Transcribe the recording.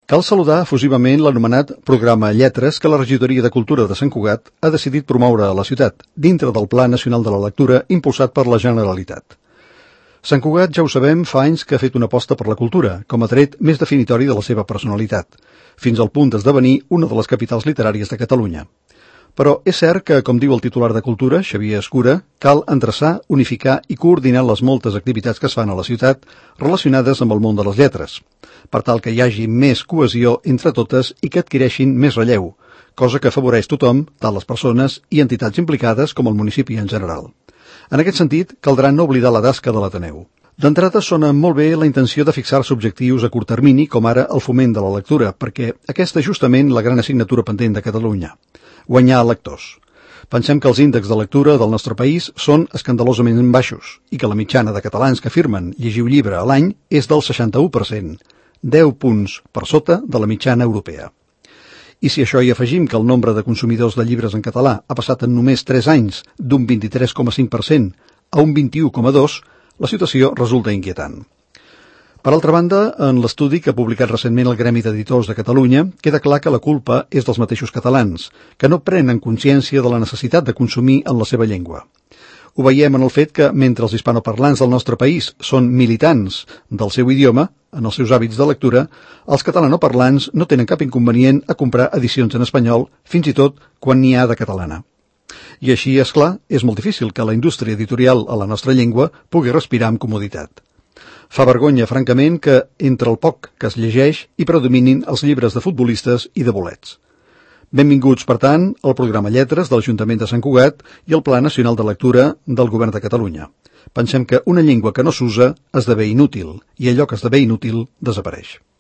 Cal saludar efusivament l'anomenat programa Lletres que la Regidoria de Cultura de Sant Cugat ha decidit promoure a la ciutat, dintre del Pla Nacional de la Lectura impulsat per la Generalitat. Sant Cugat, ja ho sabem, fa anys que ha fet una aposta per la cultura, com a tret més definitori de la seva personalitat, fins al punt d'esdevenir una de les capitals literàries de Catalunya. Però és cert que, com diu el titular de Cultura, Xavier Escura, cal endreçar, unificar i coordinar les moltes activitats que es fan a la ciutat relacionades amb el món de les lletres, per tal que hi hagi més cohesió entre totes i que adquireixin més relleu, cosa que afavoreix tothom, tant les persones i entitats implicades com el municipi en general. En aquest sentit, caldrà no oblidar la tasca de l'Ateneu. D'entrada sona molt bé la intenció de fixar-se objectius a curt termini, com ara el foment de la lectura, perquè aquesta és justament la gran assignatura pendent de Catalunya. Guanyar lectors. Pensem que els índexs de lectura del nostre país són escandalosament baixos i que la mitjana de catalans que afirmen llegir un llibre a l'any és del 61%, 10 punts per sota de la mitjana europea. I si a això hi afegim que el nombre de consumidors de llibres en català ha passat en només 3 anys d'un 23,5% a un 21,2%, la situació resulta inquietant. Per altra banda, en l'estudi que ha publicat recentment el Gremi d'Editors de Catalunya, queda clar que la culpa és dels mateixos catalans, que no prenen consciència de la necessitat de consumir en la seva llengua. Ho veiem en el fet que, mentre els hispanoparlants del nostre país són militants del seu idioma, en els seus hàbits de lectura, els catalanoparlants no tenen cap inconvenient a comprar edicions en espanyol, fins i tot quan n'hi ha de catalana. I així, és clar, és molt difícil que la indústria editorial a la nostra llengua pugui respirar amb comoditat. Fa vergonya, francament, que entre el poc que es llegeix hi predominin els llibres de futbolistes i de bolets. Benvinguts, per tant, al programa Lletres de l'Ajuntament de Sant Cugat i al Pla Nacional de Lectura del Govern de Catalunya. Pensem que una llengua que no s'usa esdevé inútil i allò que esdevé inútil desapareix.